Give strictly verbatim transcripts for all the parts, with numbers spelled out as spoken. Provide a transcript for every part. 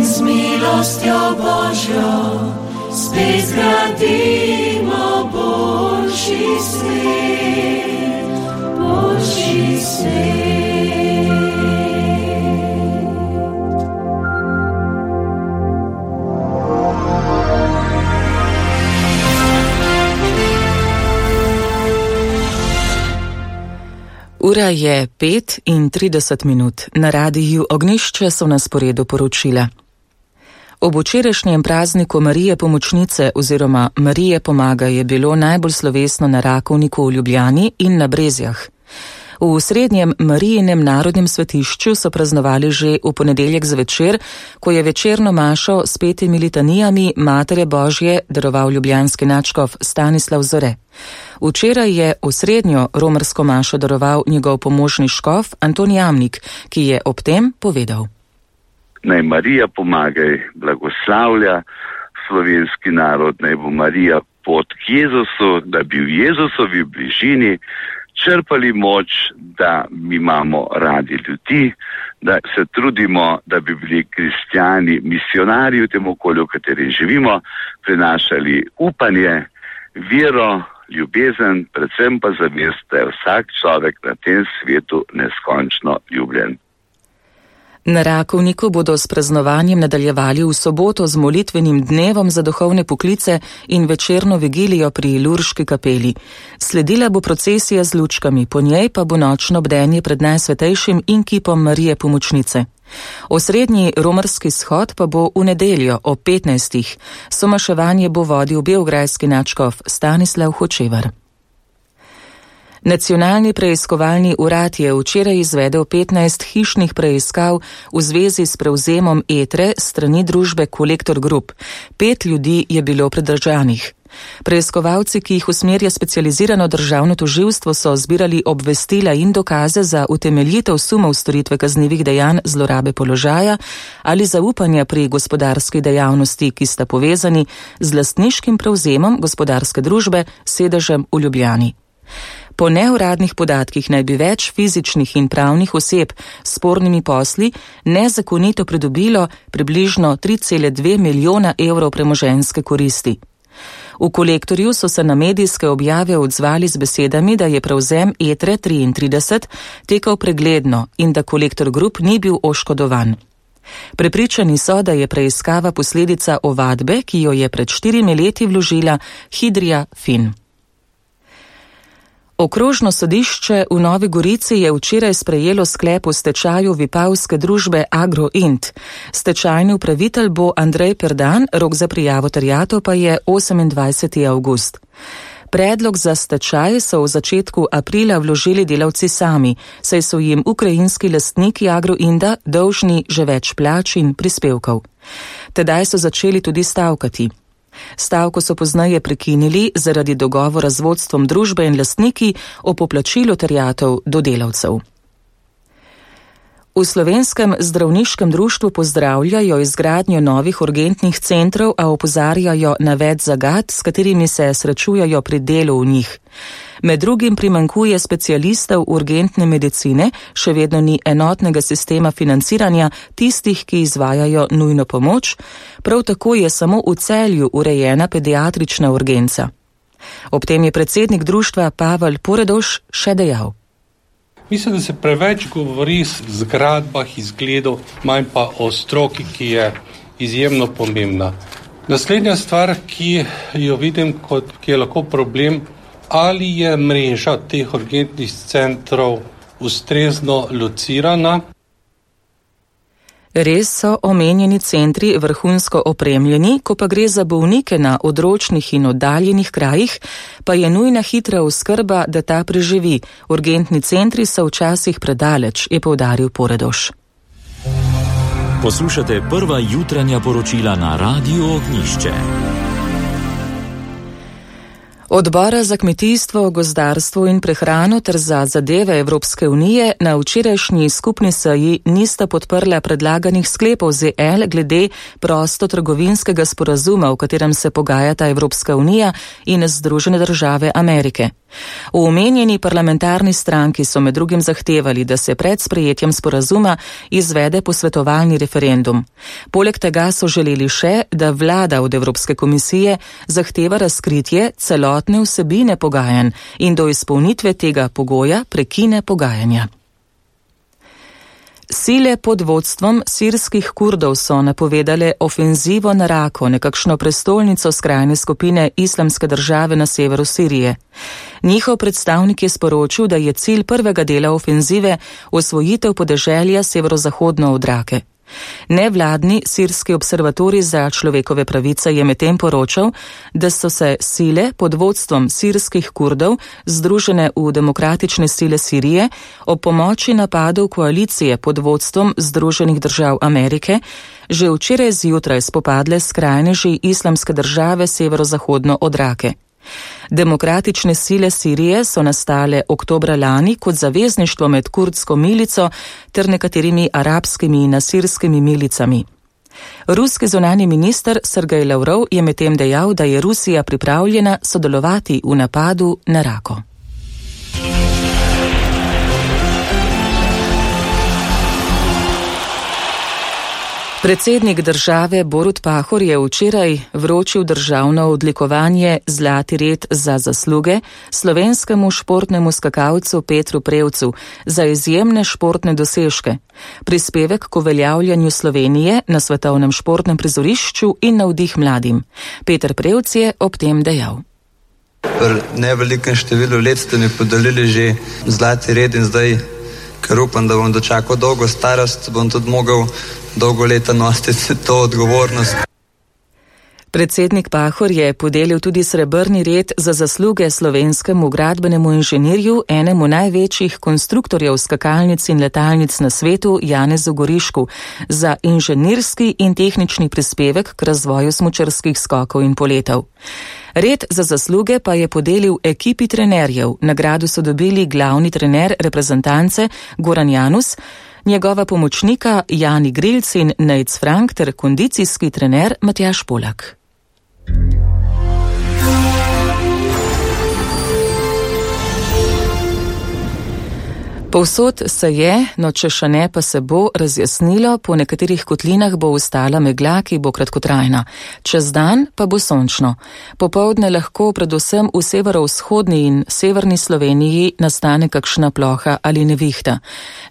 z milostjo Božjo spet zgradimo božji svet, božji svet. Ura je pet in trideset minut. Na radiju Ognjišče so na sporedu poročila. Ob včerajšnjem prazniku Marije Pomočnice oziroma Marije Pomaga je bilo najbolj slovesno na Rakovniku v Ljubljani in na Brezjah. V srednjem Marijinem narodnem svetišču so praznovali že v ponedeljek zvečer, ko je večerno mašo s petimi litanijami Matere Božje daroval ljubljanski nadškof Stanislav Zore. Včeraj je osrednjo romarsko mašo daroval njegov pomožni škof Anton Jamnik, ki je ob tem povedal. Naj Marija pomagaj, blagoslavlja slovenski narod, naj bo Marija pot k Jezusu, da bi v Jezusovi bližini črpali moč, da mi imamo radi ljudi, da se trudimo, da bi bili kristjani misionarji v tem okolju, v katerem živimo, prinašali upanje, vero, ljubezen, predvsem pa zavest, da je vsak človek na tem svetu neskončno ljubljen. Na Rakovniku bodo s praznovanjem nadaljevali v soboto z molitvenim dnevom za duhovne poklice in večerno vigilijo pri Lurški kapeli. Sledila bo procesija z lučkami, po njej pa bo nočno bdenje pred Najsvetejšim in kipom Marije Pomočnice. Osrednji romarski shod pa bo v nedeljo ob petnajstih. Somaševanje bo vodil beograjski nadškof Stanislav Hočevar. Nacionalni preiskovalni urad je včeraj izvedel petnajst hišnih preiskav v zvezi s prevzemom Etre strani družbe Kolektor Group. Pet ljudi je bilo pridržanih. Preiskovalci, ki jih usmerja specializirano državno tožilstvo, so zbirali obvestila in dokaze za utemeljitev sumov storitve kaznivih dejanj zlorabe položaja ali zaupanja pri gospodarski dejavnosti, ki sta povezani z lastniškim prevzemom gospodarske družbe s sedežem v Ljubljani. Po neuradnih podatkih naj bi več fizičnih in pravnih oseb s spornimi posli nezakonito pridobilo približno tri cele dve milijona evrov premoženjske koristi. V Kolektorju so se na medijske objave odzvali z besedami, da je prevzem Etre triintrideset tekel pregledno in da Kolektor Group ni bil oškodovan. Prepričani so, da je preiskava posledica ovadbe, ki jo je pred štirimi leti vložila Hidrija Fin. Okrožno sodišče v Novi Gorici je včeraj sprejelo sklep o stečaju vipavske družbe Agroint. Stečajni upravitelj bo Andrej Perdan, rok za prijavo terjatev pa je osemindvajseti avgust. Predlog za stečaj so v začetku aprila vložili delavci sami, saj so jim ukrajinski lastniki Agroinda dolžni že več plač in prispevkov. Tedaj so začeli tudi stavkati. Stavko so pozneje prekinili zaradi dogovora z vodstvom družbe in lastniki o poplačilu terjatev do delavcev. V Slovenskem zdravniškem društvu pozdravljajo izgradnjo novih urgentnih centrov, a opozarjajo na več zagat, s katerimi se srečujejo pri delu v njih. Med drugim primanjkuje specialistov urgentne medicine, še vedno ni enotnega sistema financiranja tistih, ki izvajajo nujno pomoč, prav tako je samo v Celju urejena pediatrična urgenca. Ob tem je predsednik društva Pavel Poredoš še dejal. Mislim, da se preveč govori o zgradbah, izgledov, manj pa o stroki, ki je izjemno pomembna. Naslednja stvar, ki jo vidim, kot, ki je lahko problem, ali je mreža teh urgentnih centrov ustrezno locirana. Res so omenjeni centri vrhunsko opremljeni, ko pa gre za bolnike na odročnih in oddaljenih krajih, pa je nujna hitra oskrba, da ta preživi. Urgentni centri so včasih predaleč, je poudaril Poredoš. Poslušate prva jutranja poročila na Radiu Ognjišče. Odbora za kmetijstvo, gozdarstvo in prehrano ter za zadeve Evropske unije na včerajšnji skupni seji nista podprla predlaganih sklepov Z L glede prostotrgovinskega sporazuma, v katerem se pogajata Evropska unija in Združene države Amerike. V omenjeni parlamentarni stranki so med drugim zahtevali, da se pred sprejetjem sporazuma izvede posvetovalni referendum. Poleg tega so želeli še, da vlada od Evropske komisije zahteva razkritje celotne vsebine pogajanj in do izpolnitve tega pogoja prekine pogajanja. Sile pod vodstvom sirskih Kurdov so napovedale ofenzivo na Rako, nekakšno prestolnico skrajne skupine Islamske države na severu Sirije. Njihov predstavnik je sporočil, da je cilj prvega dela ofenzive osvojitev podeželja severozahodno od Rake. Nevladni sirski observatorij za človekove pravice je medtem poročal, da so se sile pod vodstvom sirskih Kurdov, združene v demokratične sile Sirije, ob pomoči napadov koalicije pod vodstvom Združenih držav Amerike, že včeraj zjutraj spopadle s skrajneži Islamske države severozahodno od Rake. Demokratične sile Sirije so nastale oktobra lani kot zavezništvo med kurdsko milico ter nekaterimi arabskimi in asirskimi milicami. Ruski zunanji minister Sergej Lavrov je medtem dejal, da je Rusija pripravljena sodelovati v napadu na Rako. Predsednik države Borut Pahor je včeraj vročil državno odlikovanje Zlati red za zasluge slovenskemu športnemu skakalcu Petru Prevcu za izjemne športne dosežke, prispevek k uveljavljanju Slovenije na svetovnem športnem prizorišču in navdih mladim. Peter Prevc je ob tem dejal. V nevelikem številu let ste mi podelili že Zlati red in zdaj, ker upam, da bom dočakal dolgo starost, bom tudi mogel dolgo leta nositi to odgovornost. Predsednik Pahor je podelil tudi srebrni red za zasluge slovenskemu gradbenemu inženirju, enemu največjih konstruktorjev skakalnic in letalnic na svetu, Janezu Gorišku, za inženirski in tehnični prispevek k razvoju smučarskih skokov in poletov. Red za zasluge pa je podelil ekipi trenerjev. Nagrado so dobili glavni trener reprezentance Goran Janus, njegova pomočnika Jani Grilc in Nejc Frank ter kondicijski trener Matjaž Polak. Povsod se je, no če še ne, pa se bo razjasnilo, po nekaterih kotlinah bo ostala megla, ki bo kratkotrajna. Čez dan pa bo sončno. Popoldne lahko predvsem v severovzhodni in severni Sloveniji nastane kakšna ploha ali nevihta.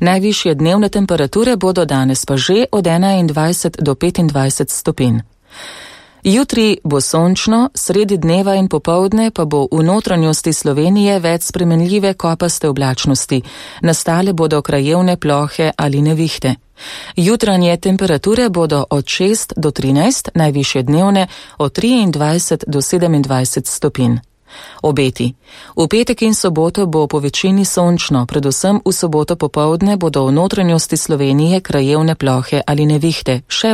Najvišje dnevne temperature bodo danes pa že od enaindvajset do petindvajset stopinj. Jutri bo sončno, sredi dneva in popoldne pa bo v notranjosti Slovenije več spremenljive kopaste oblačnosti. Nastale bodo krajevne plohe ali nevihte. Jutranje temperature bodo od šest do trinajst, najvišje dnevne od triindvajset do sedemindvajset stopinj. Obeti. V petek in soboto bo po večini sončno, predvsem v soboto popoldne bodo v notranjosti Slovenije krajevne plohe ali nevihte, še